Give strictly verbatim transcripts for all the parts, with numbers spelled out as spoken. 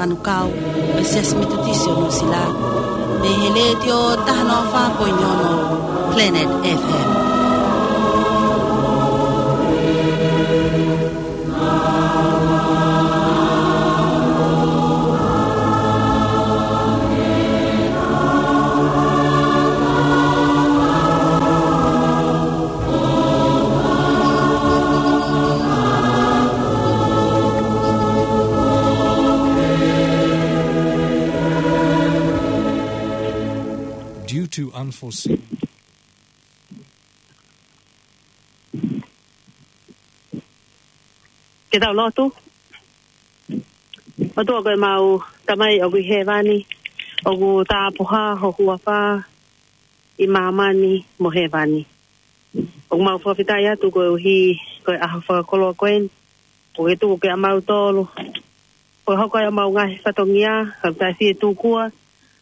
Manukau, ʻo e Siasi Metotisi ʻo Nuʻusila, mei he Letiō taha noa fā poini ono Planet F M. Due to unforeseen. Ke tau lotu. ʻOtua ko ʻemau Tamai ʻoku ʻi hēvani, ʻoku tāpuhā ho huafa ʻi māmani mo hēvani. ʻOku mau fakafetaʻi atu koeʻuhi ko e ʻaho fakakoloa ko eni, ʻoku ke tuku kia mautolu, ko e hoko ʻa ʻemau ngaahi fatongia, ka taʻe fie tukua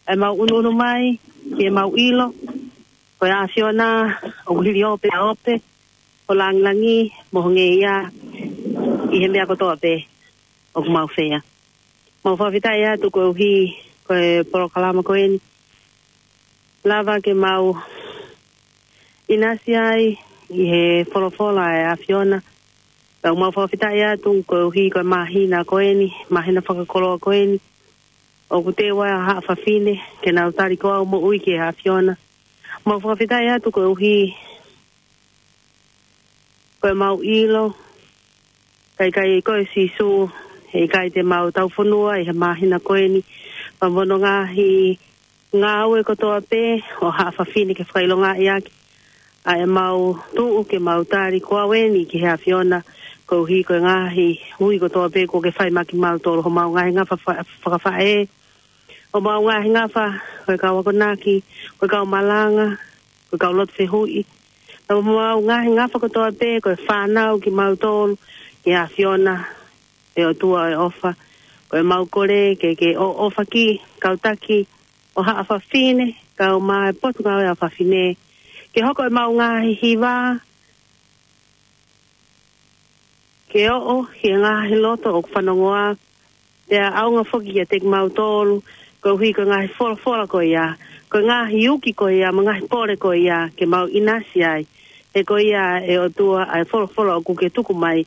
ʻemau ʻunuʻunu mai, ke mau ʻilo ko e ʻAfiona ʻoku hili ʻo pē ʻa ʻo pē ho langilangi mo ho ngeia ʻi he meʻa kotoa pē ʻoku mau feia. Mau fakafetaʻi atu koeʻuhi ko e polokalama ko eni, lava ke mau ʻinasi ai ʻi he folofola ʻa e ʻAfiona. Pea mau fakafetaʻi atu koeʻuhi ko e māhina ko eni, māhina fakakoloa ko eni, ʻoku teu ai ʻa haʻa fafine ke nau tali ko au moʻui ki he ʻAfiona. Mau fakafetaʻi atu koeʻuhi ko ʻemau ʻilo, ka ʻikai ko e Sīsū, he ʻikai te mau taufonua ʻi he māhina ko eni. Pea mo hono ngaahi ngāue kotoa pē ʻo haʻa fafine ke fakaʻilongaʻi ʻaki ʻa ʻemau tuʻu ke mau tali ko au eni ki he ʻAfiona, koeʻuhi ko e ngaahi ui kotoa pē kuo ke fai maʻa kimautolu, homau ngaahi ngafa fa-, fakafaʻē, homau ngaahi ngafa ko e kau akonaki, ko e kau malanga, ko e kau lotu fehuʻi, pea mo homau ngaahi ngafa kotoa pē ko e fānau kimautolu ki he ʻAfiona, ʻe ʻOtua ʻo e ʻofa. Ko ʻemau kole ke ke ʻo-, ʻofa ki he kau taki ʻo haʻa fafine, kau mai Potungāue ʻa Fafine, ke hoko ʻemau ngaahi hiva ke ʻoʻo ki he ngaahi loto ʻoku fanongoa, pea ʻaonga foki kiate kimautolu, koeʻuhi ko e ngaahi folofola ko ia, ko e ngaahi uki ko ia, mo e ngaahi pole ko ia, ke mau ʻinasi ai. He ko ia ʻe ʻOtua ʻa e folofola ʻoku ke tuku mai,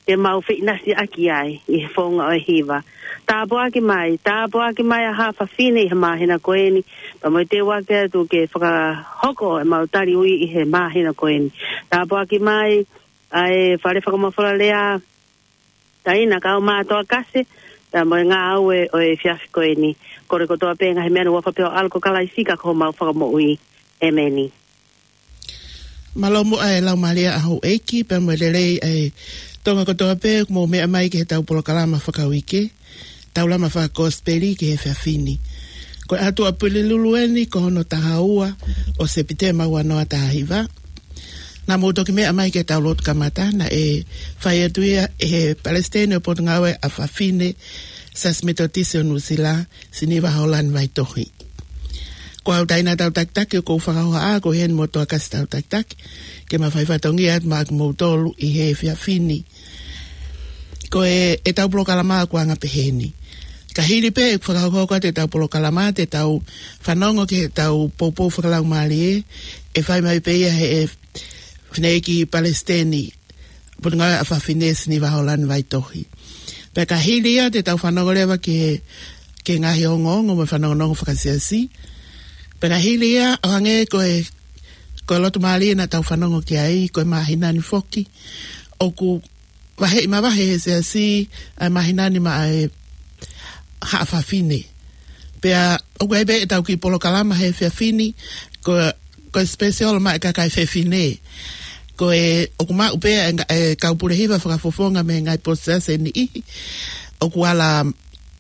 ke mau feʻinasiʻaki ai ʻi he founga ʻo e hiva. Tāpuaki mai, tāpuaki mai ʻa haʻa fafine ʻi he māhina ko eni, pea mo e teu ake atu ke fakahoko ʻemau tali ui ʻi he māhina ko eni. Tāpuaki mai ʻa e fale fakamafola lea, taina kau mātuʻa kase, pea mo e ngāue ʻo e efiafi ko eni. Kole kotoa pē ngaahi meʻa ni ʻi he huafa pē ʻo ho ʻAlo ko Kalaisi ko homau Fakamoʻui. ʻEmeni. Mālō muʻa e Laumālie ʻa houʻeiki, pea mo e lelei ʻa e Tonga kotoa pē, ʻoku mou meʻa mai ki heʻetau polokalama fakauike, Taulama Fakakosipeli ki he efiafi ni. Ko e ʻaho Tuʻapulelulu eni, ko hono taha ua ʻo Sepitema ua noa taha hiva. Naʻa mou toki meʻa mai ki heʻetau lotu kamata, naʻe fai atu ia ʻe he Palesiteni ʻo e Potungāue ʻa Fafine, Siasi Metotisi ʻo Nuʻusila, Siniva Hōlani Vaitohi. Ko au taina tau takitaki, ʻoku ou fakahohaʻa, ko heni mo Toa Kasi tau takitaki, ke ma fai fatongia atu maʻa kimoutolu ʻi he efiafi ni. Ko e, ʻetau polokalama ʻoku anga peheni. Ka hili pē ʻeku fakahoko atu ʻetau polokalama, te tau fanongo ki heʻetau poupou fakalaumālie, ʻe fai mai pē ia ʻe he fineʻeiki Palesiteni, Potungāue ʻa Fafine, Siniva Hōlani Vaitohi. Pea ka hili ia te tau fanongo leva ki he, ki he ngaahi ongoongo mo e fanongonongo fakasiasi. Pea ka hili ia ʻo hangē ko e, ko e lotu mālie naʻa tau fanongo ki ai, ko e māhina ni foki, ʻoku vaheʻi mavahe ʻe he siasi ʻa e māhina ni maʻa e haʻa fafine. Pea ʻoku ʻi ai pē ʻetau kiʻi polokalama he efiafi ni, ko, ko e special maʻa e kakai fefine. Ko e ʻoku maʻu pē ʻa e nga-, e kau pule hiva fakafofonga mei he ngaahi potu siasi ʻe niʻihi, ʻoku ala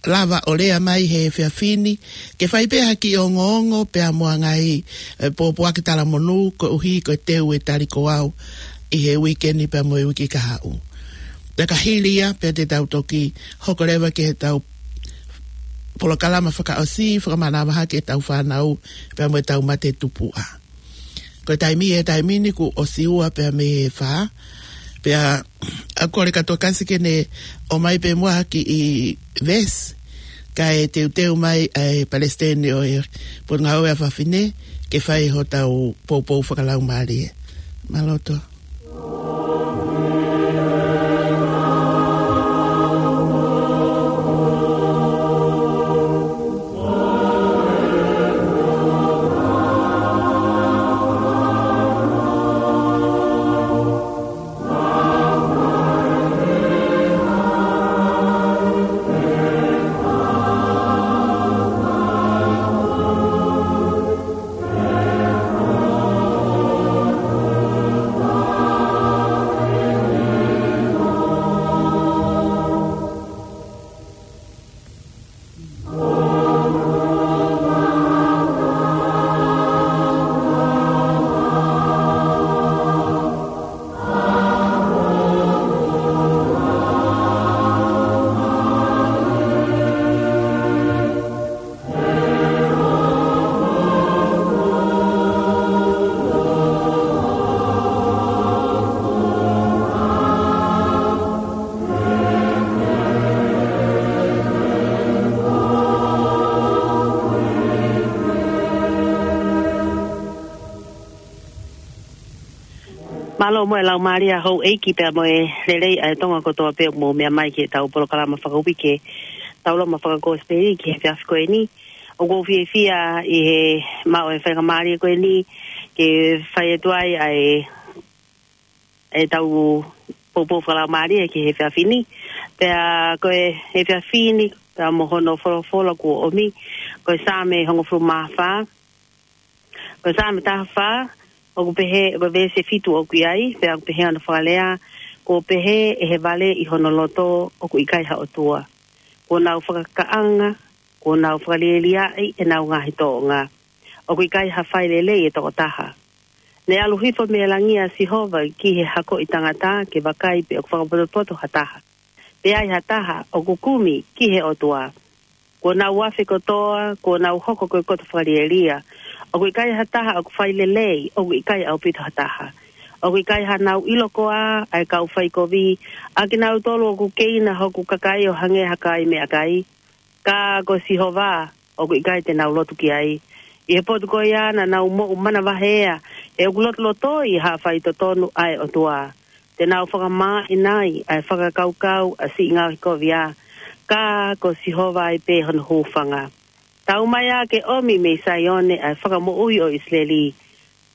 lava ʻo lea mai he efiafi ni, ke fai pē ha kiʻi ongoongo pea mo ha ngaahi, e, pōpoaki talamonū, koeʻuhi ko e teu e tali ko au ʻi he uike ni pea mo e uike kahaʻu. Pea ka hili ia, pea te tau toki hoko leva ki heʻetau polokalama fakaʻosi, fakamanavahē ki heʻetau fānau, pea mo ʻetau mate tupuʻa. Ko e taimi, he taimi ni kuo ʻosi ua pea mei he fā, pea ʻoku ou kole kia Toa Kasi ke ne ʻomai pē muʻa ha kiʻi veesi. kae teuteu mai ʻa e palesiteni ʻo e Potungāue ʻa Fafine ke fai hotau poupou fakalaumālie. Mālō Toa. Mālō mo e laumālie ʻa houʻeiki pea mo e lelei ʻa e Tonga kotoa pē ʻoku mou meʻa mai ki heʻetau polokalama fakauike, tau loma fakakosipeli ki he efiafi ko eni. ʻOku ou fiefia ʻi he maʻu e faingamālie ko eni ke fai atu ai ʻa e, ʻetau poupou fakalaumālie ki he efiafi ni. Pea ko e efiafi ni, pea mo hono folofola kuo ʻomi, ko e Saame hongofulu mā fā, ko e Saame taha fā, ʻoku pehē, ko e veesi fitu ʻoku ʻi ai, pea ʻoku pehē hono fakalea, kuo pehē ʻe he vale ʻi hono loto ʻoku ʻikai ha ʻOtua. Kuo nau fakakakaʻanga, kuo nau fakalieliaʻi ʻenau ngaahi tōʻonga. ʻOku ʻikai ha fai lelei ʻe toko taha. Ne ʻalu hifo mei langi ʻa Sihova ki he hako ʻi tangata ke vakai pe ʻoku fakapotopoto ha taha. Pe ʻi ai ha taha ʻoku kumi ki he ʻOtua. Kuo nau afe kotoa, kuo nau hoko ko e koto fakalielia. ʻOku ʻikai ha taha ʻoku fai lelei, ʻoku ʻikai ʻaupito ha taha. ʻOku ʻikai hanau ʻilo koā ʻa e kau faikovi, ʻa kinautolu ʻoku keina hoku kakai ʻo hangē ha kai meʻakai. Ka ko Sihova, ʻoku ʻikai te nau lotu ki ai. ʻI he potu ko ia naʻa nau moʻu manavahē, he ʻoku lotolotoi ha faitotonu ʻa e ʻOtua. Te nau fakamāʻinaʻi ʻa e fakakaukau ʻa siʻi ngaohikovia. Ka ko Sihova ai pē hono hūfanga. Tau mai ā ke ʻomi mei Saione ʻa e fakamoʻui ʻo ʻIsileli.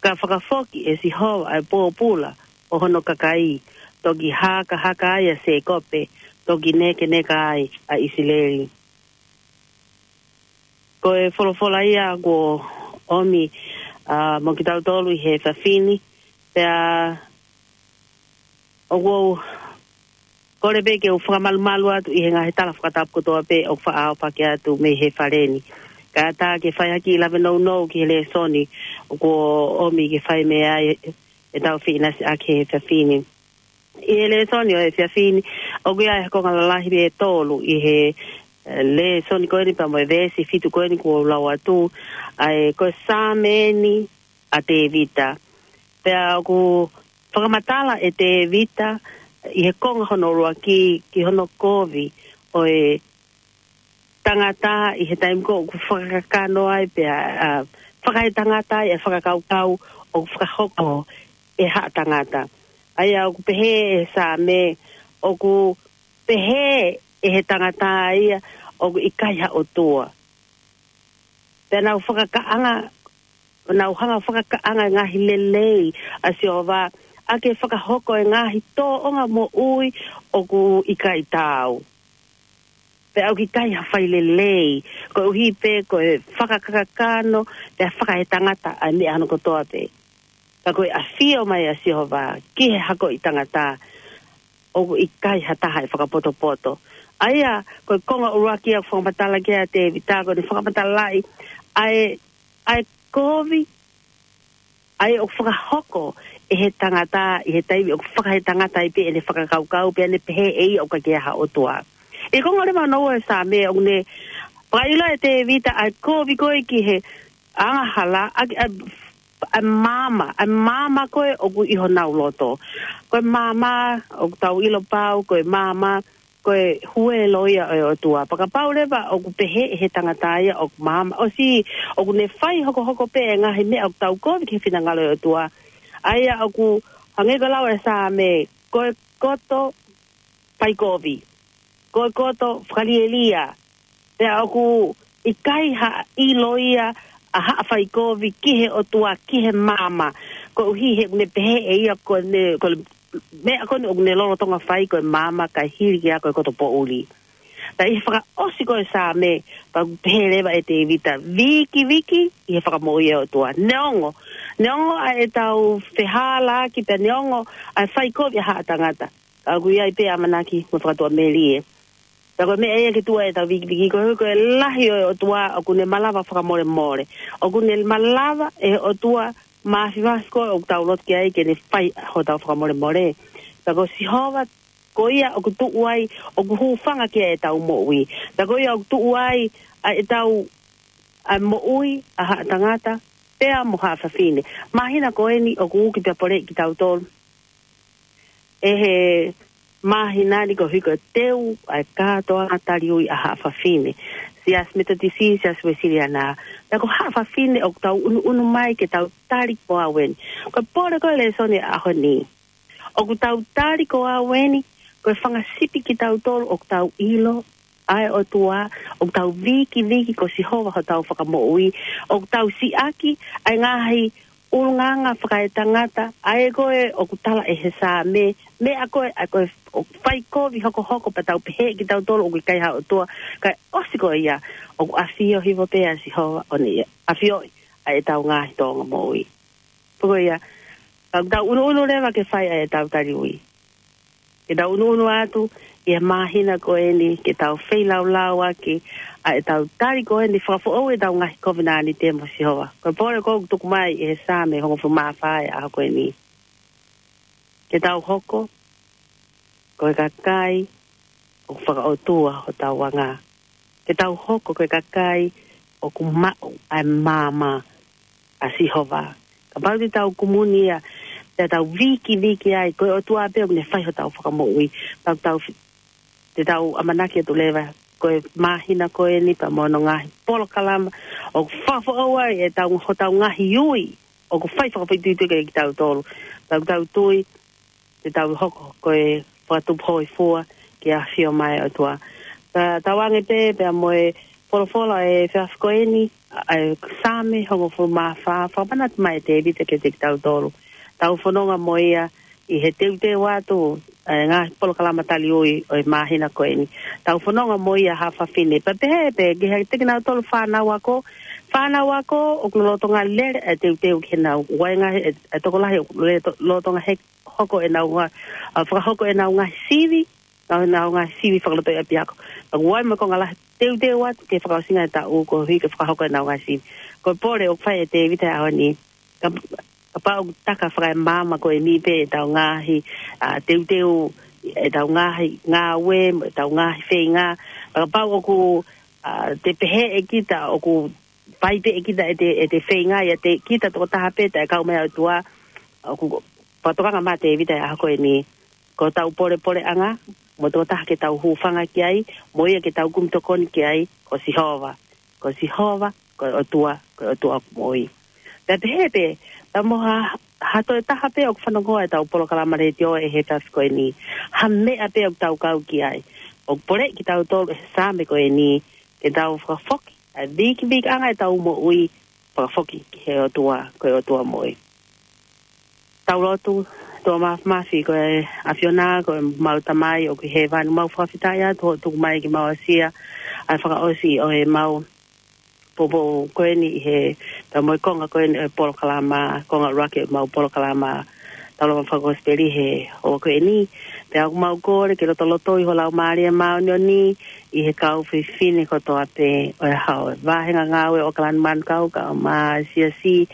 Ka fakafoki ʻe Sihova ʻa e pōpula ʻo hono kakai. Toki hakahaka ai ʻa Sēkope, toki nekeneka ai ʻa ʻIsileli. Ko e folofola ia kuo ʻomi, ā, mo kitautolu ʻi he efiafi ni, pea ʻoku ou kole pē ke u fakamalumalu atu ʻi he ngaahi tala fakatapu kotoa pē ʻoku faʻa ʻaupake atu mei he fale ni. Kae ʻatā ke fai ha kiʻi lave nounou ki he lēsoni kuo ʻomi ke fai mei ai ʻetau feʻinasiʻaki he efiafi ni. ʻI he lēsoni ʻo e efiafi ni, ʻoku ʻi ai e konga lalahi pē ʻe tolu ʻi he, eh, lēsoni ko eni pea mo e veesi fitu ko eni kuo u lau atu, ʻa e ko e Saame eni ʻa Tēvita. Pea ʻoku fakamatala ʻe Tēvita ʻi he konga hono ʻuluaki ki hono kovi ʻo e tangata ʻi he taimi ko ē ʻoku fakakakano ai pea, ā, fakaetangata ai e fakakaukau ʻoku fakahoko ʻe haʻa tangata. ʻA ia ʻoku pehē ʻe he Saame, ʻoku pehē ʻe he tangata ia ʻoku ʻikai ha ʻOtua. Pea nau fakakaʻanga, nau hanga fakakaʻanga e ngaahi lelei ʻa Sihova, ʻa ke fakahoko e ngaahi tōʻonga moʻui ʻoku ʻikai taau. Pea ʻoku ʻikai ha fai lelei, koeʻuhi pē ko e fakakakano, pea fakaetangata ʻa e meʻa hono kotoa pē. Ka ko e ʻafio mai ʻa Sihova ki he hako ʻi tangata, ʻoku ʻikai ha taha ʻe fakapotopoto. ʻA ia, ko e konga ʻuluaki ʻoku fakamatala ki ai ʻa Tēvita, ko ʻene fakamatalaʻi ʻa e, ʻa e kovi, ʻa ia ʻoku fakahoko ʻe he tangata, ʻi he taimi ʻoku fakaetangata ai pē ʻene fakakaukau, pea ne pehē ʻe ia ʻoku ʻikai ha ʻOtua. ʻI he konga leva hono ua ʻo e Saame ʻoku ne fakaʻilo ʻe Tēvita ʻa e kovi ko ē ki he angahala, ʻa, ʻa, ʻa e maama, ʻa e maama ko ē ʻoku ʻi honau loto. Ko e maama, ʻoku tau ʻilo pau, ko e maama, ko e huelo ia ʻo e ʻOtua. Pea kapau leva ʻoku pehē ʻe he tangata ia ʻoku maama, ʻosi ʻoku ne fai hokohoko pē e ngaahi meʻa ʻoku taukovi ki he finangalo ʻo e ʻOtua. ʻA ia ʻoku hangē ko e lau ʻa e Saame, ko e koto faikovi, ko e koto fakalielia. Pea ʻoku ʻikai ha ʻilo ia ʻa haʻa faikovi ki he ʻOtua, ki he maama. Koeʻuhi he ʻoku ne pehē ʻe ia ko ʻene, ko e meʻa ko eni ʻoku ne lolotonga fai ko e maama kae hili ki ai ko e koto poʻuli. Pea ʻi he fakaʻosi ko ē Saame, pea ʻoku pehē leva ʻe Tēvita, vikiviki ʻi he fakamoʻui ʻa e ʻOtua. Neongo, neongo ʻa ʻetau fehālaaki pea neongo ʻa e faikovi ʻa haʻa tangata, ka ʻoku ʻi ai pē ʻamanaki mo e fakatuʻamelie. Pea ko e meʻa ia ke tuʻu ai ʻetau vikiviki, koeʻuhi ko e lahi ʻo e ʻOtua ʻoku ne malava fakamolemole. ʻOku ne malava ʻe he ʻOtua Māfimafi ko ē ʻoku tau lotu ki ai ke ne fai hotau fakamolemole. Pea ko Sihova, ko ia ʻoku tuʻu ai, ʻoku hūfanga ki ai ʻetau moʻui. Pea ko ia ʻoku tuʻu ai ʻa ʻetau, ʻa e moʻui ʻa haʻa tangata pea mo haʻa fafine. Māhina ko eni ʻoku uki pea poleʻi kitautolu ʻe he māhina ni koeʻuhi ko e teu ʻa e kātoanga taliui ʻa haʻa fafine. Siasi Metotisi, Siasi Uēsiliana. Pea ko haʻa fafine ʻoku tau ʻunuʻunu mai ke tau tali ko au eni. Ko e pole ko e lēsoni ʻa e ʻaho ni, ʻoku tau tali ko au eni, ko e fanga sipi kitautolu ʻoku tau ʻilo ʻa e ʻOtua, ʻoku tau vikiviki ko Sihova hotau fakamoʻui, ʻoku tau siʻaki ʻa e ngaahi ʻulungaanga fakaetangata, ʻa ē ko ē ʻoku tala ʻe he Saame, meʻa ko ē, ʻa ē ko ē ʻoku faikovi hokohoko pea tau pehē kitautolu ʻoku ʻikai ha ʻOtua, kae ʻosi ko ia, ʻoku ʻafio hifo pē ʻa Sihova ʻo ne ʻafioʻi ʻa ʻetau ngaahi tōʻonga moʻui. Pea ko ia, ka ʻoku tau ʻunuʻunu leva ke fai ʻa ʻetau taliui, ke tau ʻunuʻunu atu ʻi he māhina ko eni, ke tau feilaulaua ki ʻa ʻetau tali ko eni, fakafoʻou ʻetau ngaahi kovinānite mo Sihova. Ko e pole ko ē ʻoku tuku mai ʻi he Saame hongofulu mā fā ʻa e ʻaho ko eni. Ke tau hoko ko e kakai ʻoku fakaʻotua hotau anga. Ke tau hoko ko e kakai ʻoku maʻu ʻa e maama ʻa Sihova. Kapau te tau kumuni ia, te tau vikiviki ai, ko e ʻOtua pē ʻoku ne fai hotau fakamoʻui. Pea tau fi-, te tau ʻamanaki atu leva, ko e māhina ko eni pea mo hono ngaahi polokalama ʻoku fakafoʻou ai ʻetau, hotau ngaahi ui ʻoku fai fakafoʻituitui kiate kitautolu. Pea tau tui, te tau hoko ko e fakatupu hōifua ki he ʻafio mai ʻa e ʻOtua. Pea tauange pē, pea mo e folofola ʻo e efiafi ko eni, ʻa e Saame hongofulu mā fā, fakamanatu mai ʻe Tēvita kiate kitautolu. Tau fononga mo ia ʻi he teuteu atu ʻa e ngaahi polokalama taliui ʻo e māhina ko eni. Tau fononga mo ia haʻa fafine. Pea pehē pē ki he, kiate kinautolu fānau ako, fānau ako ʻoku lolotonga lele ʻa e teuteu ki heʻenau, ʻoku ʻi ai e ngaahi, ʻa e tokolahi ʻoku lele to-, lolotonga he hoko ʻenau ngaahi, ʻa, fakahoko ʻenau ngaahi sivi, ʻenau, ʻenau ngaahi sivi fakalotoʻi ʻapiako. Pea ʻoku ʻi ai mo e konga lahi teuteu atu ki he fakaʻosinga ʻo e taʻu koeʻuhi ke fakahoko ʻenau ngaahi sivi. Ko e pole ʻoku fai ʻe Tēvita he ʻaho ni, ka, kapau ʻoku taka fakaemaama ko eni pē ʻetau ngaahi, ʻa, teuteu, ʻetau ngaahi ngāue, ʻetau ngaahi feinga, kapau ʻoku, ʻa, te pehē ʻe kita ʻoku fai pē ʻe kita ʻete, ʻete feinga ʻiate kita tokotaha pē taʻe kau mai ʻa e ʻOtua, ʻoku fakatokanga mai ʻa Tēvita he ʻaho ko eni, ko hotau polepoleʻanga, mo e tokotaha ke tau hūfanga ki ai, mo ia ke tau kumi tokoni ki ai, ko Sihova. Ko Sihova, ko e ʻOtua, ko e ʻOtua ʻoku moʻui. Pea pehē pē, pea mo ha, ha toe taha pē ʻoku fanongo ʻetau polokalama letiō he efiafi ko eni, ha meʻa pē ʻoku tau kau ki ai, ʻoku poleʻi kitautolu ʻe he Saame ko eni, ke tau fakafoki ʻa e vikivikiʻanga ʻetau moʻui, fakafoki ki he ʻOtua, ko e ʻOtua moʻui. Tau lotu. ʻOtua Māfimafi, ko e ʻAfiona, ko ʻemau Tamai ʻoku ʻi hēvani, mau fakafetaʻi atu hoʻo tuku mai ke mau aʻusia ʻa e fakaʻosi ʻo ʻemau poupou ko eni ʻi he, pea mo e konga ko eni ʻo e polokalama, konga ʻuluaki ʻo ʻemau polokalama Taulama Fakakosipeli he ʻaho ko eni. Pea ʻoku mau kole ke lotolotoʻi ho Laumālie Māʻoniʻoni ʻi he kau fefine kotoa pē ʻo e Hau, ʻa e Vāhenga Ngāue ʻo ʻAokalani Manukau, kae ʻumaʻā e Siasi,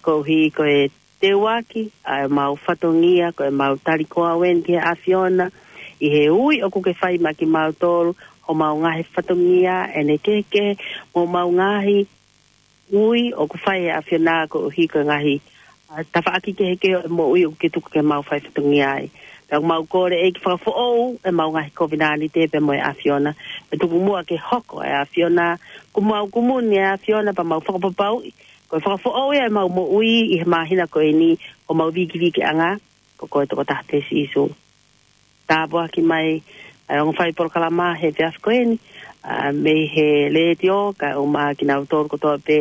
koeʻuhi ko e teuaki ʻa ʻemau fatongia, ko ʻemau tali ko au eni ki he ʻAfiona, ʻi he ui ʻoku ke fai maʻa kimautolu, homau ngaahi fatongia ʻe kehekehe, mo homau ngaahi ui ʻoku fai ʻe he ʻAfiona koeʻuhi ko e ngaahi, ʻa, tafaʻaki kehekehe ʻo e moʻui ʻoku ke tuku ke mau fai fatongia ai. Pea ʻoku mau kole ʻEiki fakafoʻou ʻemau ngaahi kovinānite pea mo e ʻAfiona. Pea tuku muʻa ke hoko ʻa e ʻAfiona, kuo mau kumuni ʻa e ʻAfiona pea mau fakapapauʻi ko e fakafoʻou ia ʻemau moʻui ʻi he māhina ko eni, ko homau vikiviki ʻanga, ko koe tokotaha pē Sīsū. Tāpuaki mai ʻa e ongo fai polokalama he efiafi ko eni, ʻa, mei he letiō, kae ʻumaʻā kinautolu kotoa pē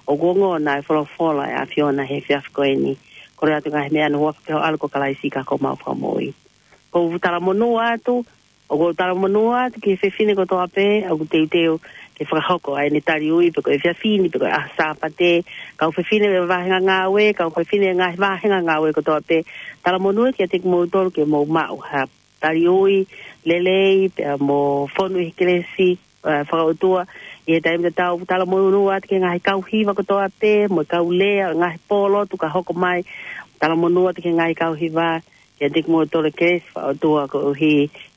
ʻoku ongona ʻa e folofola ʻa e ʻAfiona he efiafi ko eni. Kole atu ngaahi meʻa ni ʻi he huafa ʻo ho ʻAlo ko Kalaisi ka ko homau Fakamoʻui. ʻOku ou talamonū atu, ʻoku ou talamonū atu ki he fefine kotoa pē ʻoku teuteu ke fakahoko ʻa ʻene tali ui, pe ko e efiafi ni, pe ko e ʻaho Sāpate, kau fefine ʻo e vāhenga ngāue, kau fefine ʻo e ngaahi vāhenga ngāue kotoa pē. Talamonū atu kiate kimoutolu ke mou maʻu ha tali ui lelei, pea mo fonu ʻi he kelesi, ē, fakaʻotua ʻi he taimi tatau. Talamonū atu ki he ngaahi kau hiva kotoa pē, mo e kau lea, ngaahi pōlotu ka hoko mai. Talamonū atu ki he ngaahi kau hiva, kiate kimoutolu e kelesi fakaʻotua koeʻuhi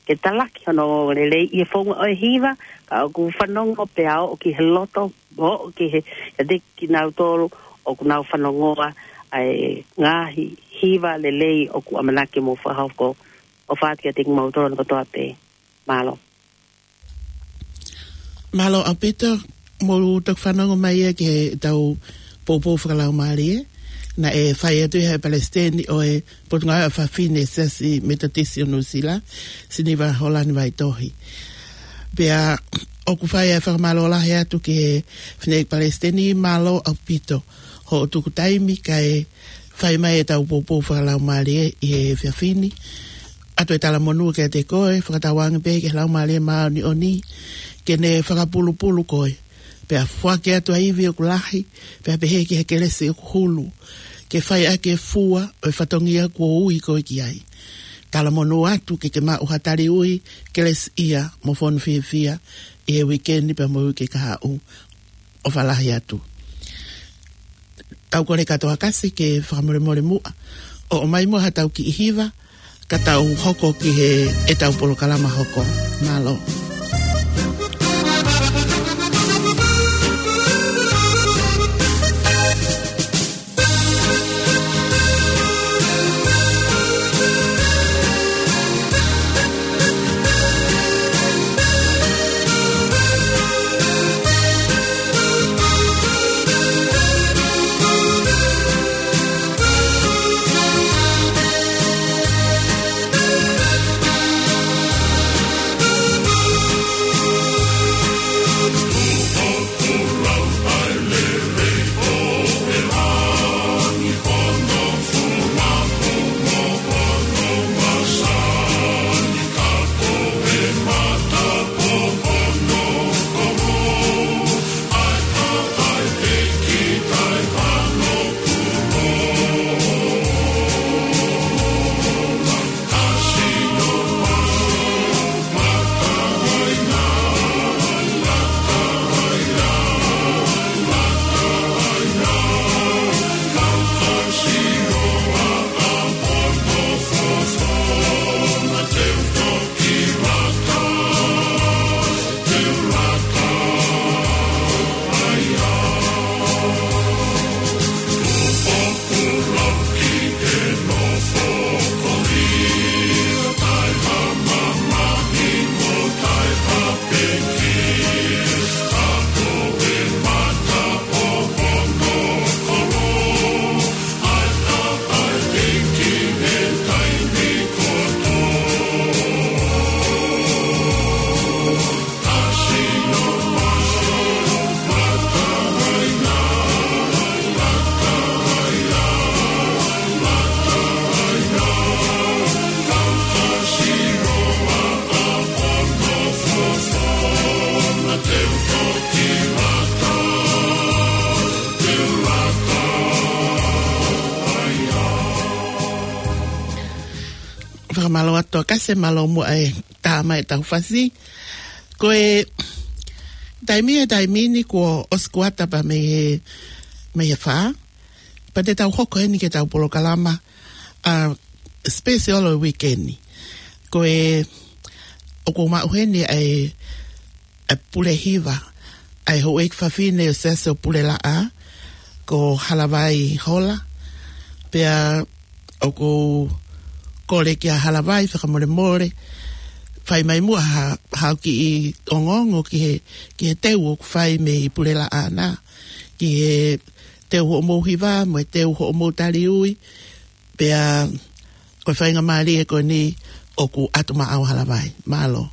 ke talaki hono ongoongolelei ʻi he founga ʻo e hiva, ka ʻoku fanongo pea ō ki he loto, ō ki he, kiate kinautolu ʻoku nau fanongoa ʻa e ngaahi hiva lelei ʻoku ʻamanaki ke mou fakahoko. ʻOfa atu kiate kimoutolu kotoa pē. Mālō. Mālō ʻaupito, mou toki fanongo mai ia ki heʻetau poupou fakalaumālie, naʻe fai atu ʻe he palesiteni ʻo e Potungāue ʻa Fafine Siasi Metotisi ʻo Nuʻusila, Siniva Hōlani Vaitohi. Pea ʻoku fai ʻa e fakamālō lahi atu ki he Fineʻeiki Palesiteni, mālō ʻaupito hoʻo tuku taimi kae fai mai ʻetau poupou fakalaumālie ʻi he efiafi ni. ʻOatu e talamonū kiate koe, fakatauange pē ki he Laumālie Māʻoniʻoni ke ne fakapulupulu koe, pea foaki atu ʻa e ivi ʻoku lahi, pea pehē ki he kelesi ʻoku hulu, ke fai ʻaki e fua ʻo e fatongia kuo ui koe ki ai. Talamonū atu ke ke maʻu ha tali ui kelesiʻia mo fonu fiefia ʻi he uike ni pea mo e uike kahaʻu. ʻOfa lahi atu. Tau kole kātoa Kasi ke fakamolemole muʻa ʻo ʻomai muʻa haʻatau kiʻi hiva, ka tau hoko ki heʻetau polokalama hoko. Mālō. Fakamālō atu Kasi, mālō muʻa e tā mai ʻetau fasi. Ko e taimi, e taimi ni kuo ʻosi kuata pea mei he, mei he fā. Pea te tau hoko heni ki heʻetau polokalama, ʻa, special ʻo e uike ni. Ko e, ʻoku ou maʻu heni ʻa e, ʻa e pule hiva ʻa e houʻeiki fafine ʻo e Siasi ʻo Pulelaʻā, ko Halavai Hola. Pea ʻoku ou kole kia Halavai fakamolemole, fai mai muʻa ha, ha kiʻi ongoongo ki he, ki he teu ʻoku fai mei Pulelaʻā na, ki he teu hoʻomou hiva, mo e teu hoʻomou taliui, pea ko e faingamālie ko eni ʻoku ʻatu maʻau Halavai. Mālō.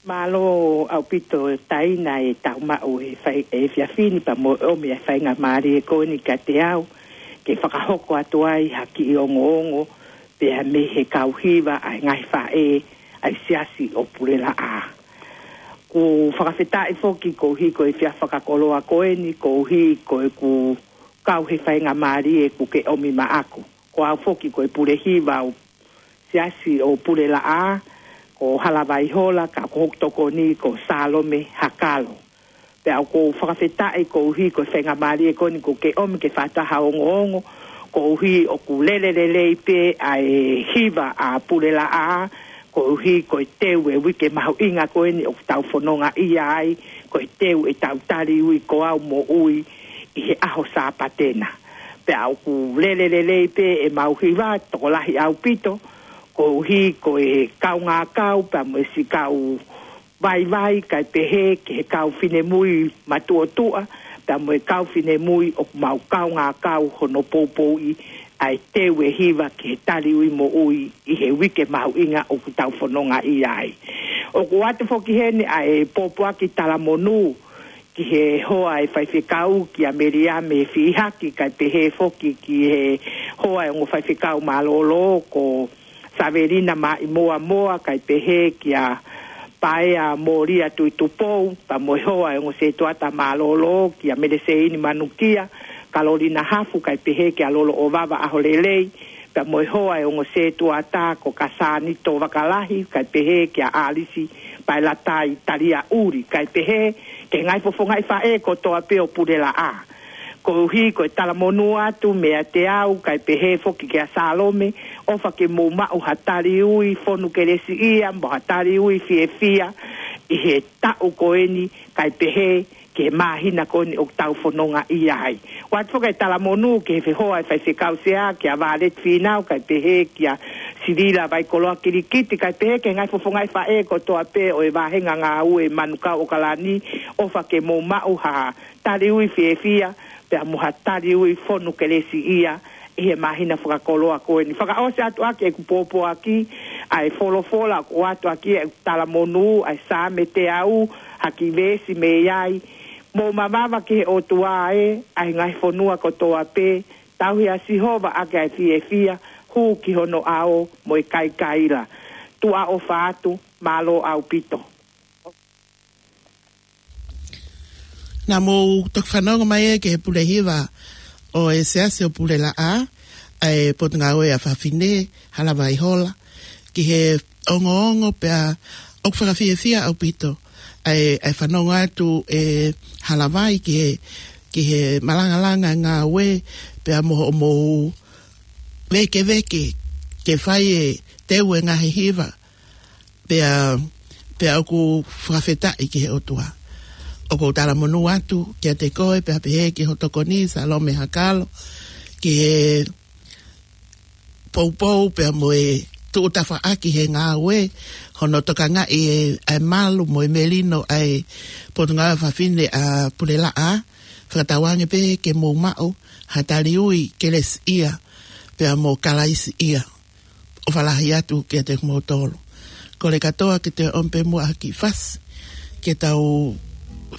Mālō ʻaupito Taina e tau maʻu e fai, e efiafi ni pea mo e ʻomi e faingamālie ko eni kiate au, ke fakahoko atu ai ha kiʻi ongoongo, pea mei he kau hiva ʻa e ngaahi faʻē ʻa e siasi ʻo Pulelaʻā. ʻOku fakafetaʻi foki koeʻuhi ko e efiafi fakakoloa ko eni, koeʻuhi ko ʻeku kau he faingamālie kuo ke ʻomi maʻaku. Ko au foki ko e pule hiva ʻo e siasi ʻo Pulelaʻā, ko Halavai Hola, ka ko hoku tokoni ko Salome Hakalo. Pea ʻoku ou fakafetaʻi koeʻuhi ko e faingamālie ko eni kuo ke ʻomi ke fai atu ha ongoongo, koeʻuhi ʻoku lele lelei pē ʻa e hiva ʻa Pulelaʻā, koeʻuhi ko e teu e uike mahuʻinga ko eni ʻoku tau fononga ʻia ai, ko e teu e tau taliui ko au moʻui ʻi he ʻaho Sāpate na. Pea ʻoku lele lelei pē ʻemau hiva tokolahi ʻaupito, koeʻuhi ko e kaungā kau, pea mo e siʻi kau vaivai, kae pehē ki he kau finemui matuʻotuʻa, pea mo e kau finemui ʻoku mau kaungā kau hono poupouʻi ʻa e teu e hiva ki he taliui moʻui ʻi he uike mahuʻinga ʻoku tau fononga ʻia ai. ʻOku ʻoatu foki heni ʻa e pōpoaki talamonū ki he hoa e faifekau kia Meliame Fihaki, kae pehē foki ki he hoa e ongo faifekau mālōlō ko Savelina Maʻimoamoa, kae pehē kia Paea Molia Tuitupou, pea mo e hoa e ongo setuata mālōlō kia Meleseini Manukia, Kalolina Hafu, kae pehē kia Lolo ʻOvava ʻAholelei, pea mo e hoa e ongo setuata ko Kasani Tovakalahi, kae pehē kia ʻAlisi Paelatai Taliaʻuli, kae pehē ki he ngaahi fofongaʻi faʻē kotoa pē ʻo Pulelaʻā. Koeʻuhi ko e talamonū atu meiate au, kae pehē foki kia Salome, ʻofa ke mou maʻu ha taliui fonu kelesiʻia, mo ha taliui fiefia, ʻi he taʻu ko eni, kae pehē ki he māhina ko eni ʻoku tau fononga ʻia ai. ʻOatu foki e talamonū ki he fehoa e faifekau sea, kia Violet Fīnau, kae pehē kia Silila Vaikoloa Kilikiti, kae pehē ki he ngaahi fofongaʻi faʻē kotoa pē ʻo e vāhenga ngāue Manukau ʻAokalani, ʻofa ke mou maʻu ha taliui fiefia, pea mo ha taliui fonu kelesiʻia ʻi he māhina fakakoloa ko eni. Fakaʻosi atu ʻaki ʻeku pōpoaki, ʻa e folofola ʻoku ʻoatu ʻaki ʻeku talamonū, ʻa e Saame teau, ha kiʻi veesi mei ai: Mou mavava ki he ʻOtua ē, ʻa e ngaahi fonua kotoa pē, tauhi ʻa Sihova ʻaki ʻa e fiefia, hū ki hono ʻao mo e kaikaila. Tuʻa ʻofa atu, mālō ʻaupito. Naʻa mou toki fanongo mai ē ki he pule hiva ʻo e Siasi ʻo Pulelaʻā, ʻa e Potungāue ʻa Fafine, Halavai Hola, ki he ongoongo pea ʻoku fakafiefia ʻaupito ʻa e, ʻa e fanongo atu ʻe Halavai ki he, ki he malangalanga ngāue pea mo hoʻomou vēkeveke ke fai e teu e ngaahi hiva. Pea, pea ʻoku fakafetaʻi ki he ʻOtua. ʻOku ou talamonū atu kiate koe, pea pehē ki ho tokoni, Salome Hakalo, ki he poupou pea mo e tuʻu tafaʻaki he ngāue, hono tokangaʻi e, e malu mo e melino ʻa e Potungāue Fafine ʻa Pulelaʻā, fakatauange pē ke mou maʻu ha taliui kelesiʻia pea mo kalaisiʻia. ʻOfa lahi atu kiate kimoutolu. Kole kātoa ke te ʻomi pē muʻa ha kiʻi fasi ke tau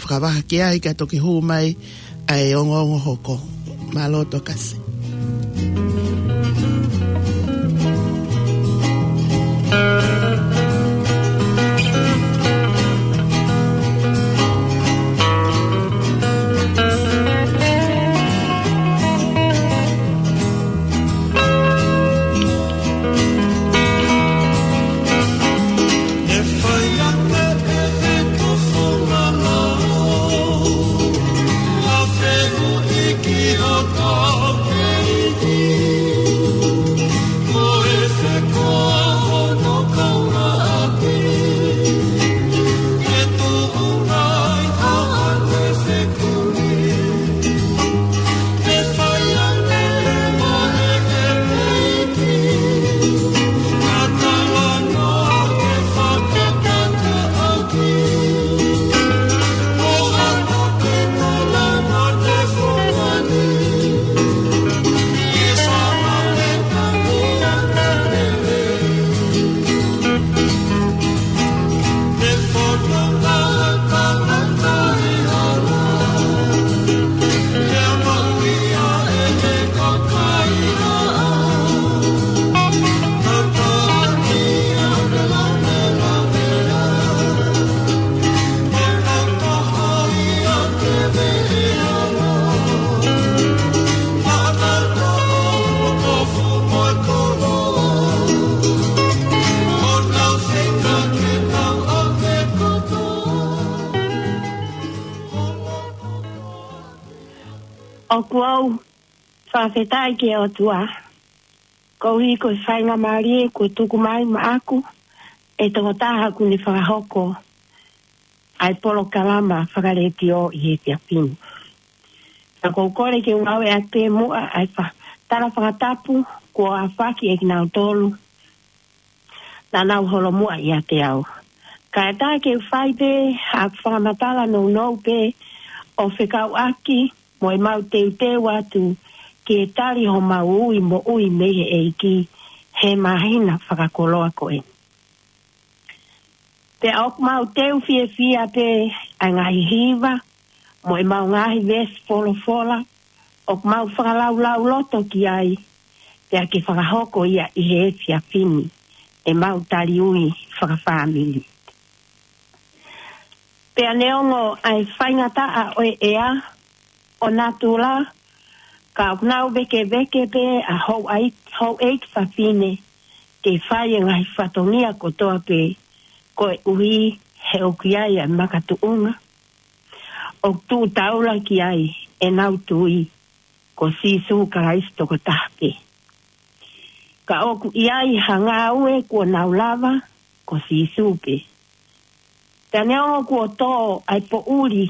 fakavaha ki ai kae toki hū mai ʻa e ongoongo hoko. Mālō Tokasi. ʻOku ou fakafetaʻi ki he ʻOtua, koeʻuhi ko e faingamālie kuo tuku mai maʻaku ʻe he tokotaha ʻoku ne fakahoko ʻa e polokalama fakaletiō ʻi he efiafi ni. Ka ʻoku ou kole ke u ngāueʻaki pē muʻa ʻa e fa-, tala fakatapu kuo ʻafaki ʻe kinautolu naʻa nau holomuʻa ʻiate au. Kae ʻatā ke u fai pē ʻa e fakamatala nounou pē ʻo fekauʻaki mo ʻemau teuteu atu ke tali homau ui moʻui mei he ʻEiki he māhina fakakoloa ko eni. Pea ʻoku mau teu fiefia pē ʻa e ngaahi hiva mo ʻemau ngaahi veesi folofola ʻoku mau fakalaulauloto ki ai, pea ke fakahoko ia ʻi he efiafi ni ʻemau tali ui fakafāmili. Pea neongo ʻa e faingataʻa ʻo e ʻea ʻo natula, ka ʻoku nau vēkeveke pē ʻa houʻai-, houʻeiki fafine ke fai e ngaahi fatongia kotoa pē, koeʻuhi he ʻoku ʻi ai ʻa e makatuʻunga ʻoku tuʻu taula ki ai ʻenau tui ko Sīsū Kalaisi tokotaha pē. Ka ʻoku ʻi ai ha ngāue kuo nau lava ko Sīsū pē. Pea neongo kuo tō ʻa e poʻuli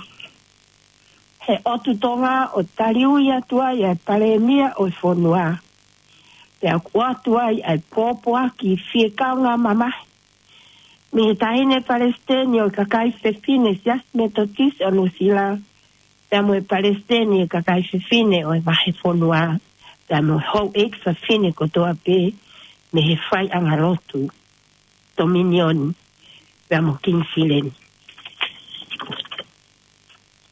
he ʻotu Tonga ʻo tali ui atu ai ʻa e Palēmia ʻo e fonua, pea ʻoku ʻoatu ai ʻa e pōpoaki fiekaungāmamahi mei he Taʻahine Palesiteni ʻo e Kakai Fefine Siasi Metotisi ʻo Nuʻusila, pea mo e Palesiteni ʻo e Kakai Fefine ʻo e Vahefonua, pea mo e houʻeiki fafine kotoa pē mei he faiʻanga lotu Tominioni pea mo Kingisileni.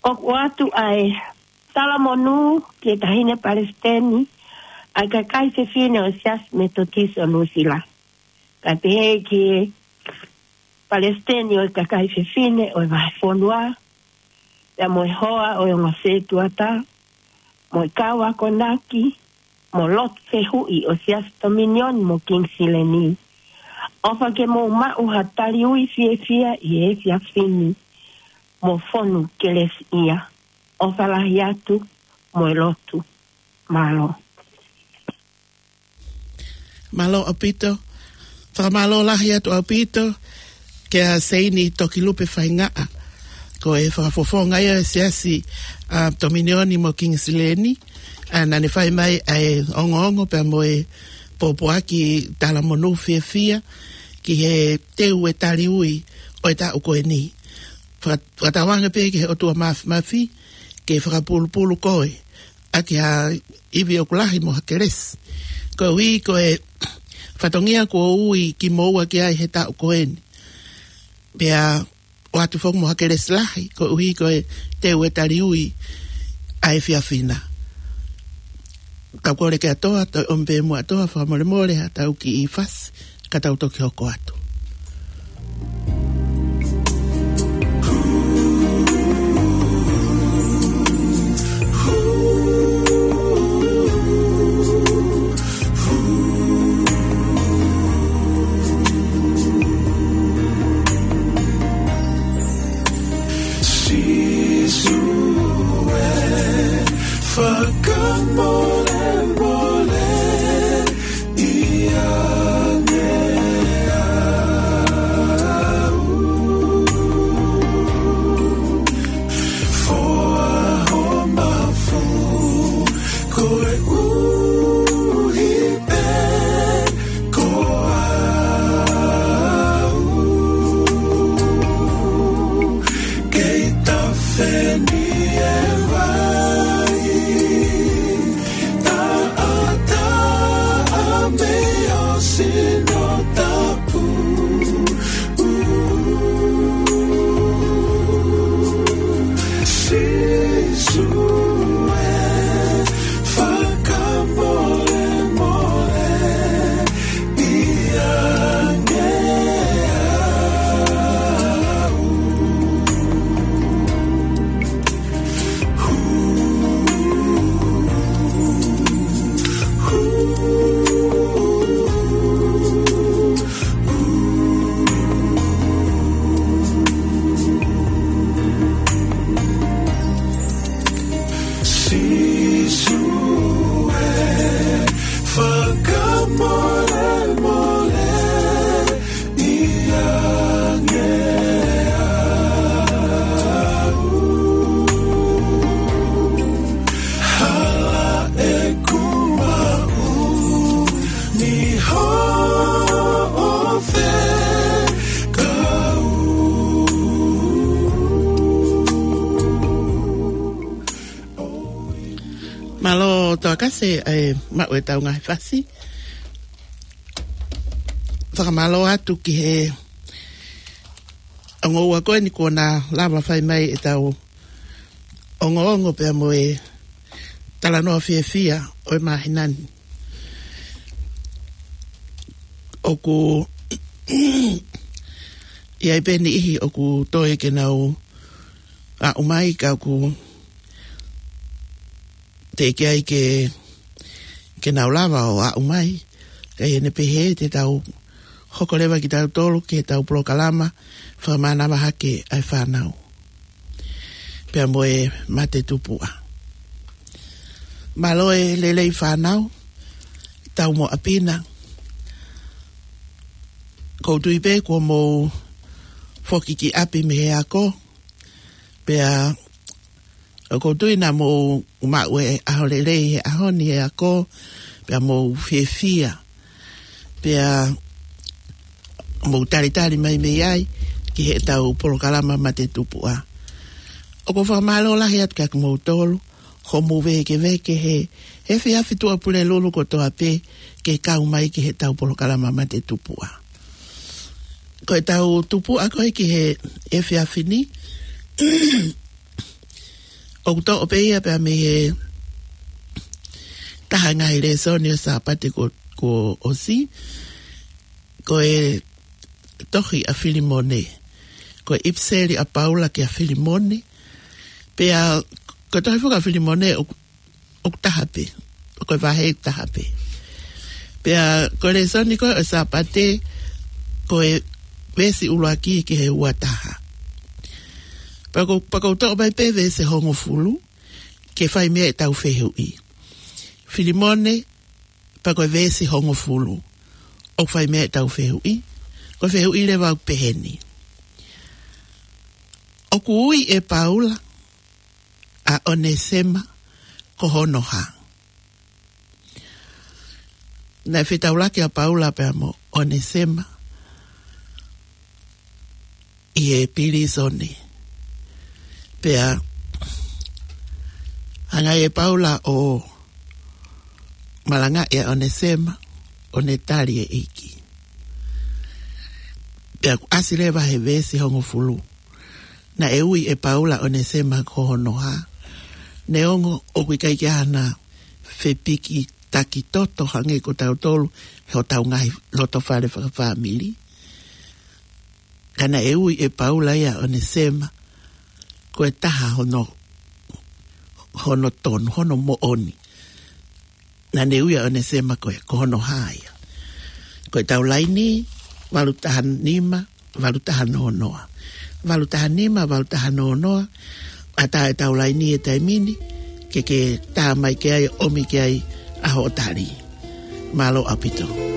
ʻOku ʻoatu ʻa e talamonū ki he Taʻahine Palesiteni ʻo e Kakai Fefine ʻo e Siasi Metotisi ʻo Nuʻusila, kae pehē ki he Palesiteni ʻo e Kakai Fefine ʻo e Vahefonua, pea mo e hoa ʻo e ongo sētuata, mo e kau akonaki, mo e lotu fehuʻi ʻo e Siasi Tominioni mo Kingisileni. ʻOfa ke mou maʻu ha tali ui fiefia ʻi he efiafi ni, mo fonu kelesiʻia. ʻOfa lahi atu mo e lotu. Mālō. Mālō ʻaupito. Fakamālō lahi atu ʻaupito kia Seini Tokilupe Faingaʻa, ko e fakafofonga ia ʻo e Siasi, ʻa, Tominioni mo Kingisileni, ʻa, naʻa ne fai mai ʻa e ongoongo pea mo e pōpoaki talamonū fiefia ki he teu e tali ui ʻo e taʻu ko eni. Faka-, fakatauange pē ki he ʻOtua Māfimafi ke fakapulupulu koe ʻaki ha ivi ʻoku lahi mo ha kelesi, koeʻuhi ko e fatongia kuo ui kimoua ki ai he taʻu ko eni. Pea ʻoatu foki mo ha kelesi lahi, koeʻuhi ko e teu e tali ui ʻa e efiafi na. Tau kole ke ʻAtoa, tau ʻomi pē muʻa ʻAtoa, fakamolemole ha tau kiʻi fasi, ka tau toki hoko atu. Sīsū ē, fakamolemole ia ne au. Foa ho mafu koeʻuhi pē ko au. Kei tafe ni e vai, taʻataʻa mei ho sino tapu. Sīsū ē, fakamolemole ia ne au. Mālō Toakase, ʻa e maʻu ʻetau ngaahi fasi. Fakamālō atu ki he ongo ua ko eni kuo na lava fai mai ʻetau ongoongo pea mo e talanoa fiefia ʻo e māhina ni. ʻOku ʻi ai pē niʻihi ʻoku toe ke nau aʻu mai ka ʻoku teʻeki ai ke, ke nau lava ʻo aʻu mai. Ka ʻi heʻene pehē te tau hoko leva kitautolu ki heʻetau polokalama fakamānava hake ʻa e fānau pea mo e mate tupuʻa. Mālō e lelei fānau, tau mo ʻapina. ʻOku ou tui pē kuo mou foki ki ʻapi mei he ako, pea ʻoku ou tui naʻa mou maʻu e ʻaho lelei he ʻaho ni he ako, pea mou fiefia, pea mou talitali mai mei ai ki heʻetau polokalama mate tupuʻa. ʻOku ou fakamālō lahi atu kiate kimoutolu hoʻomou vēkeveke he, he efiafi Tuʻapulelulu kotoa pē ke kau mai ki heʻetau polokalama mate tupuʻa. Ko ʻetau tupuʻa ko ē ki he efiafi ni, ʻoku toʻo pē ia pea mei he taha ngaahi lēsoni ʻo e Sāpate kuo, kuo ʻosi, ko e tohi ʻa Filimone. Ko e ʻipiseli ʻa Paula kia Filimone. Pea ko e tohi foki ʻa Filimone ʻoku, ʻoku taha pē. Ko e vahe ʻoku taha pē. Pea ko e lēsoni ko ē ʻo e Sāpate, ko e veesi ʻuluaki ki he ua taha. Pea ʻoku, pea ʻoku ou toʻo mai pē veesi hongofulu ke fai mei ai ʻetau fehuʻi. Filimone, pea ko e veesi hongofulu ʻoku fai mei ai ʻetau fehuʻi. Ko e fehuʻi leva ʻoku pehē ni: ʻOku ui ʻe Paula ʻa ʻOnesema ko hono hā? Naʻe fetaulaki ʻa Paula pea mo ʻOnesema ʻi he pilīsone. Pea hanga ʻe Paula ʻo malangaʻi ʻa ʻOnesema ʻo ne tali e ʻEiki. Pea ʻoku ʻasi leva he veesi hongofulu: Naʻe ui ʻe Paula ʻa ʻOnesema ko hono hā? Neongo ʻoku ʻikai ke ʻi ai hana fepikitaki toto hangē ko tautolu he hotau ngaahi loto fale fakafāmili, ka naʻe ui ʻe Paula ia ʻa ʻOnesema ko e taha hono, hono tonu, hono moʻoni. Naʻa ne ui ʻa ʻOnesema ko e, ko hono hā ia? Ko ʻetau laini, valu taha nima, valu taha noa noa. Valu taha nima, valu taha noa noa. ʻAtā ʻetau laini he taimi ni, ke ke tā mai ki ai, ʻomi ki ai ʻa hoʻo tali. Mālō ʻaupito.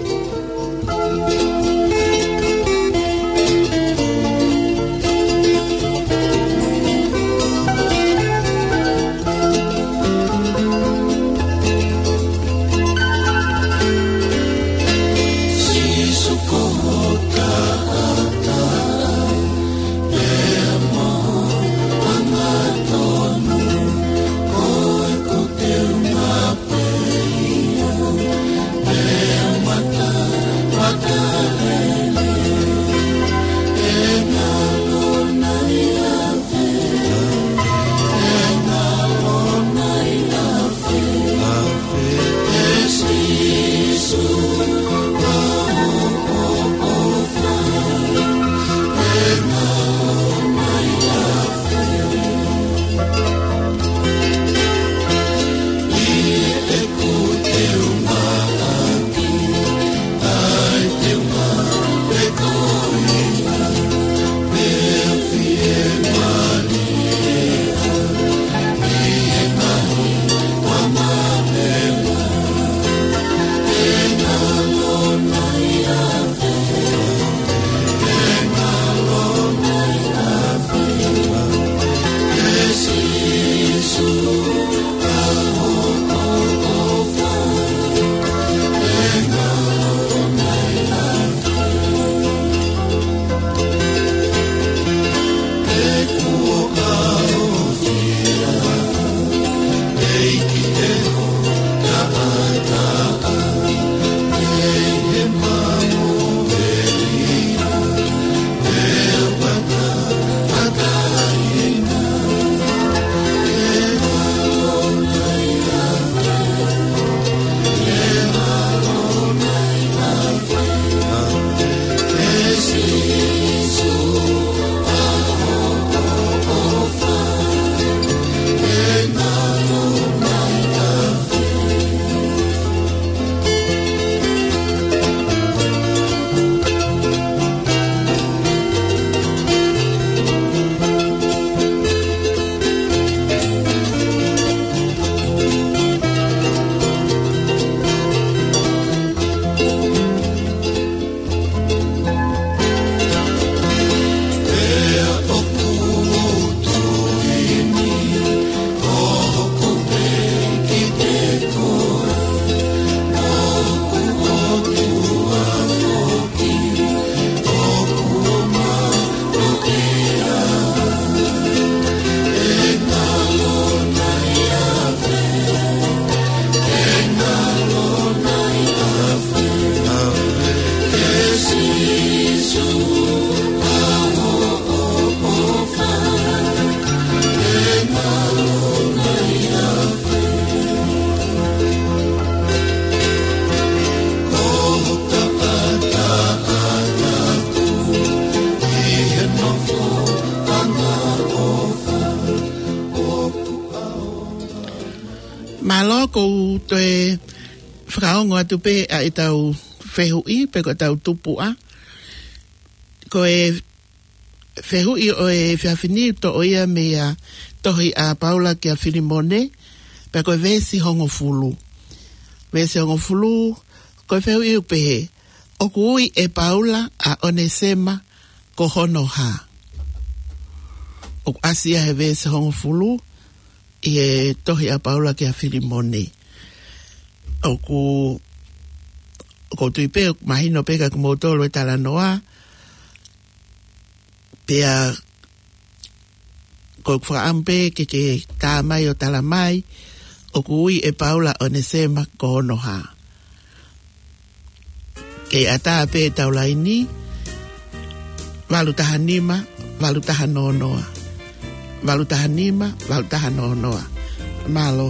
Mālō, ʻoku ou toe fakaongo atu pē ʻa ʻetau fehuʻi, pe ko ʻetau tupuʻa. Ko e fehuʻi ʻo e efiafi ni ʻoku toʻo ia mei he tohi ʻa Paula kia Filimone, pea ko e veesi hongofulu. Veesi hongofulu, ko e fehuʻi ʻoku pehē: ʻOku ui ʻe Paula ʻa ʻOnesema ko hono hā? ʻOku ʻasi ia he veesi hongofulu ʻi he tohi ʻa Paula kia Filimone. ʻOku, ʻoku ou tui pē, mahino pē kiate kimoutolu e talanoa, pea ʻoku ou fakaʻamu pē ke ke tā mai ʻo tala mai, ʻoku ui ʻe Paula ʻa ʻOnesema ko hono hā? Kei ʻatā pē ʻetau laini, valu taha nima, valu taha noa noa. Valu taha nima, valu taha noa noa. Mālō.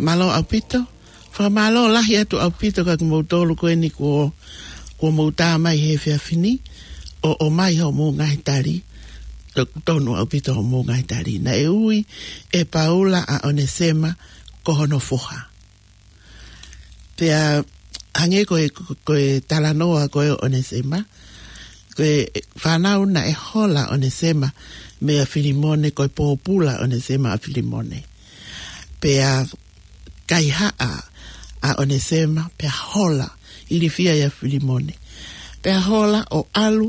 Mālō ʻaupito. Fakamālō lahi atu ʻaupito kiate kimoutolu ko eni kuo, kuo mou tā mai he efiafi ni, ʻo, ʻomai hoʻomou ngaahi tali, ʻoku tonu ʻaupito hoʻomou ngaahi tali. Naʻe ui ʻe Paula ʻa ʻOnesema ko hono foha. Pea hangē ko e, ko e talanoa ko ē ʻo ʻOnesema, ko e fānau naʻe hola ʻa ʻOnesema meia Filimone, ko e pōpula ʻa ʻOnesema ʻa Filimone. Pea kaihaʻa ʻa ʻOnesema, pea hola, ilifia ʻia Filimone. Pea hola ʻo ʻalu,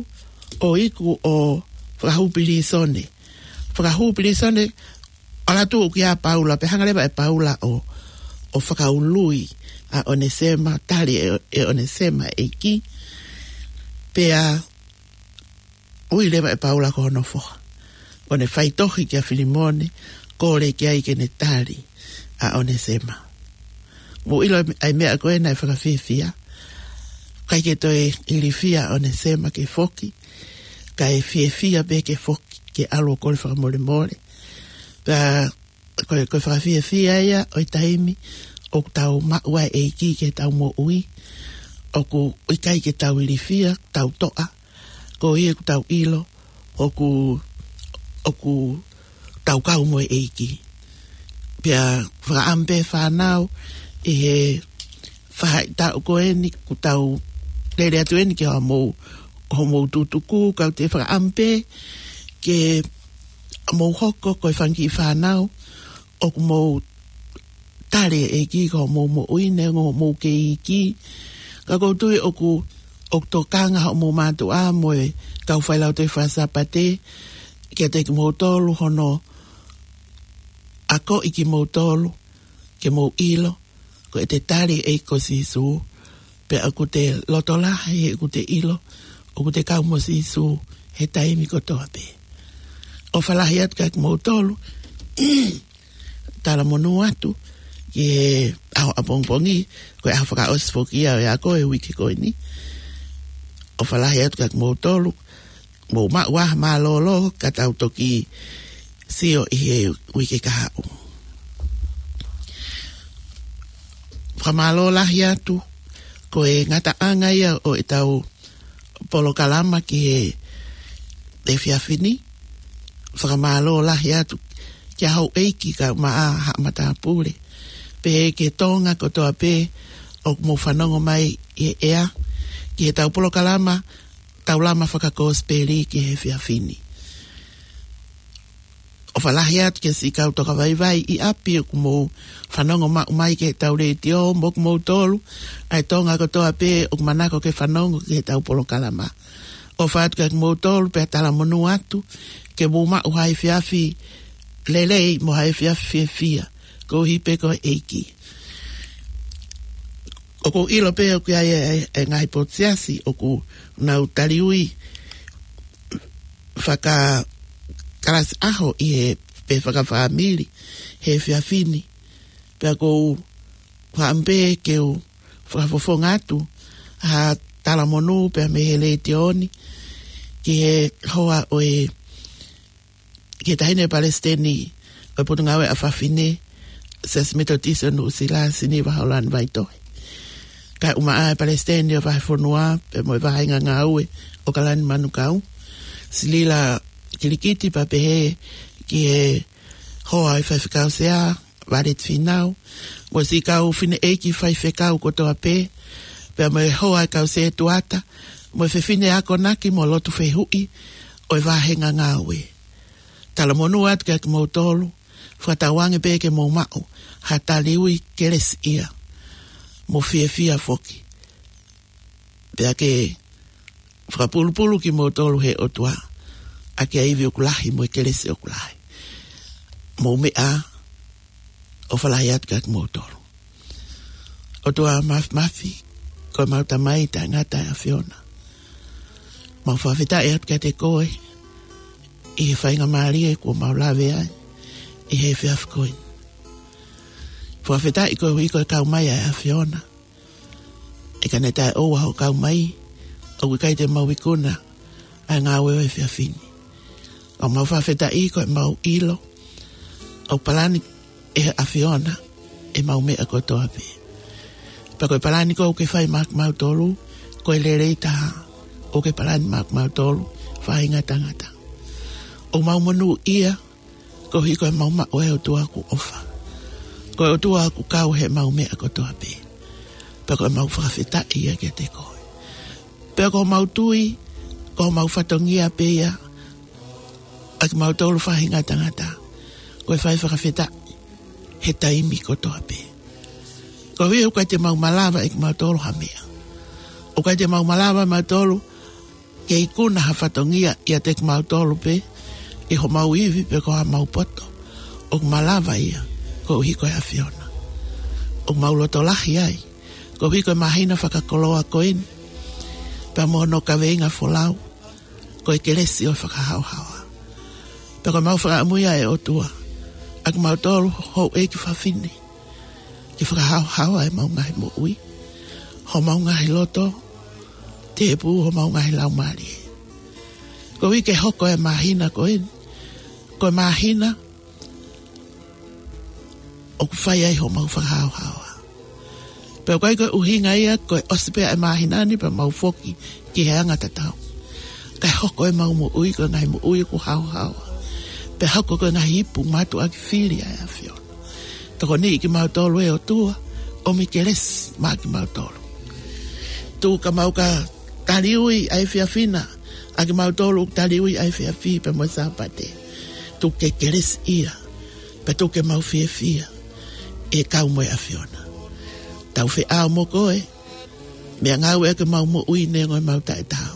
ʻo iku ʻo fakahū pilīsone. Fakahū pilīsone, ʻalu atu ʻo kia Paula, pea hanga leva ʻe Paula ʻo, ʻo fakaului ʻa ʻOnesema, tali ʻe, ʻe ʻOnesema ʻEiki. Pea ui leva ʻe Paula ko hono foha. ʻo ne faitohi kia Filimone, kole ki ai ke ne tali ʻa ʻOnesema. Mou ʻilo ʻa e meʻa ko ē naʻe fakafiefia. ʻIkai ke toe ilifia ʻa ʻOnesema ke foki, kae fiefia pē ke foki, ke ʻalu ʻo kole fakamolemole. Pea ko e, ko e fakafiefia ia ʻo e taimi ʻoku tau maʻu ai e ʻEiki ke tau moʻui. ʻOku ʻikai ke tau ilifia, tau toʻa, koeʻuhi ʻoku tau ʻilo ʻoku, ʻoku tau kau mo e ʻEiki. Pea fakaʻamu pē fānau ʻi he faʻahitaʻu ko eni, ʻoku tau lele atu eni ki hoʻomou, hoʻomou tutuku, kau te fakaʻamu pē ke mou hoko ko e fanga kiʻi fānau ʻoku mou tali e ʻEiki ko hoʻomou moʻui, neongo hoʻomou kei iiki. Ka ʻoku ou tui ʻoku, ʻoku tokanga hoʻomou mātuʻa mo e kau failautohi faka-Sāpate kiate kimoutolu hono akoʻi kimoutolu ke mou ʻilo ko ʻete tali e ʻEiki ko Sīsū, pea ʻoku te loto lahi he ʻoku te ʻilo ʻoku te kau mo Sīsū he taimi kotoa pē. ʻOfa lahi atu kiate kimoutolu, talamonū atu ki he ʻaho ʻapongipongi, ko e ʻaho fakaʻosi foki ia ʻo e ako e uike ko eni. ʻOfa lahi atu kiate kimoutolu, mou maʻu ā ha mālōlō ka tau toki sio ʻi he uike kahaʻu. Fakamālō lahi atu, ko e ngataʻanga ia ʻo ʻetau polokalama ki he efiafi ni. Fakamālō lahi atu kia houʻeiki kae ʻumaʻā haʻa matāpule, pehē ki he Tonga kotoa pē ʻoku mou fanongo mai ʻi he ʻea, ki heʻetau polokalama Taulama Fakakosipeli ki he efiafi ni. ʻOfa lahi atu kia siʻi kau tokavaivai ʻi ʻapi ʻoku mou fanongo maʻu mai ki heʻetau letiō, mo kimoutolu ʻa e Tonga kotoa pē ʻoku manako ke fanongo ki heʻetau polokalama. ʻOfa atu kiate kimoutolu pea talamonū atu ke mou maʻu ha efiafi lelei mo ha efiafi fiefia koeʻuhi pē ko e ʻEiki. ʻOku ou ʻilo pē ʻoku ʻi ai e, e, e ngaahi potu siasi ʻoku nau taliui fakakalasi ʻaho ʻi he, pe fakafāmili he efiafi ni. Pea ʻoku ou fakaʻamu pē ke u fakafofonga atu ha talamonū pea mei he letiō ni ki he hoa ʻo e, ki he Taʻahine Palesiteni ʻo e Potungāue ʻa Fafine, Siasi Metotisi ʻo Nuʻusila, Siniva Haulani Vaitohe. Kae ʻumaʻā e Palesiteni ʻo e Vahefonua pea mo e Vāhenga Ngāue ʻo Kalani Manukau, Silila Kilikiti, pea pehē ki he hoa ʻo e Faifekau Sea, Vāleti Fīnau, mo siʻi kau fineʻeiki faifekau kotoa pē, pea mo e hoa ʻo e kau sētuata, mo e fefine akonaki mo lotu fehuʻi ʻo e Vāhenga Ngāue. Talamonū atu kiate kimoutolu, fakatauange pē ke mou maʻu ha taliui kelesiʻia mo fiefia foki. Pea ke fakapulupulu kimoutolu he ʻOtua ʻaki ʻa e ivi ʻoku lahi mo e kelesi ʻoku lahi. Mou meʻa ā, ʻofa lahi atu kiate kimoutolu. ʻOtua Māfimafi, ko ʻemau Tamai taʻengata ʻa e ʻAfiona, mau fakafetaʻi atu kiate koe ʻi he faingamālie kuo mau lave ai ʻi he efiafi ko eni. Fakafetaʻi koeʻuhi ko e kau mai ʻa e ʻAfiona. ʻE ka ne taʻeʻoua hoʻo kau mai, ʻoku ʻikai te mau ikuna ʻa e ngāue ʻo e efiafi ni. Ka mau fakafetaʻi ko ʻemau ʻilo ʻoku palani ʻe he ʻAfiona ʻemau meʻa kotoa pē. Pea ko e palani ʻoku ke fai maʻa kimautolu, ko e lelei taha ʻoku ke palani maʻa kimautolu, faʻahinga tangata. ʻOku mau monūʻia koeʻuhi ko ʻemau maʻu ʻa e ʻOtua ʻoku ʻofa. Ko e ʻOtua ʻoku kau heʻemau meʻa kotoa pē. Pea ko ʻemau fakafetaʻi ia kiate koe. Pea ko homau tui, ko homau fatongia pē ia ʻa kimautolu faʻahinga tangata, ko e fai fakafetaʻi he taimi kotoa pē. Koeʻuhi ʻoku ʻikai te mau malava ʻe kimautolu ha meʻa. ʻOku ʻikai te mau malava ʻe mautolu ke ikuna ha fatongia ʻiate kimautolu pē ʻi homau ivi pe ko homau poto. ʻOku malava ia koeʻuhi ko e ʻAfiona. ʻOku mau loto lahi ai koeʻuhi ko e māhina fakakoloa ko eni, pea mo hono kaveinga folau, ko e kelesi ʻo e fakahaohaoa. Pea ko ʻemau fakaʻamu ia ʻe ʻOtua, ʻa kimautolu houʻeiki fafine, ke fakahaohaoa ʻemau ngaahi moʻui, homau ngaahi loto, tēpū homau ngaahi laumālie. Koeʻuhi ke hoko e māhina ko eni ko e māhina ʻoku fai ai homau fakahaohaoa. Pea ʻoku ʻikai ko e ʻuhinga ia ko e ʻosi pē ʻa e māhina ni pea mau foki ki he anga tatau. Kae hoko ʻemau moʻui ko e ngaahi moʻui ʻoku haohaoa. Pea hoko ko e ngaahi ipu mātuʻaki fili ʻa e ʻAfiona. Tokoniʻi kimautolu ʻe ʻOtua, ʻomi kelesi maʻa kimautolu. Tuku ke mau ka taliui ʻa e efiafi na, ʻa kimautolu ʻoku taliui ʻa e efiafi pea mo e Sāpate. Tuku ke kelesiʻia, pea tuku ke mau fiefia ʻi he kau mo e ʻAfiona. Tau feʻao mo koe, meʻangāue ʻaki ʻemau moʻui neongo ʻemau taʻetaau.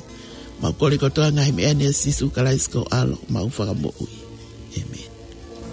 Mau kole kotoa ngaahi meʻa ni ʻia Sīsū Kalaisi ko ho ʻAlo, homau Fakamoʻui.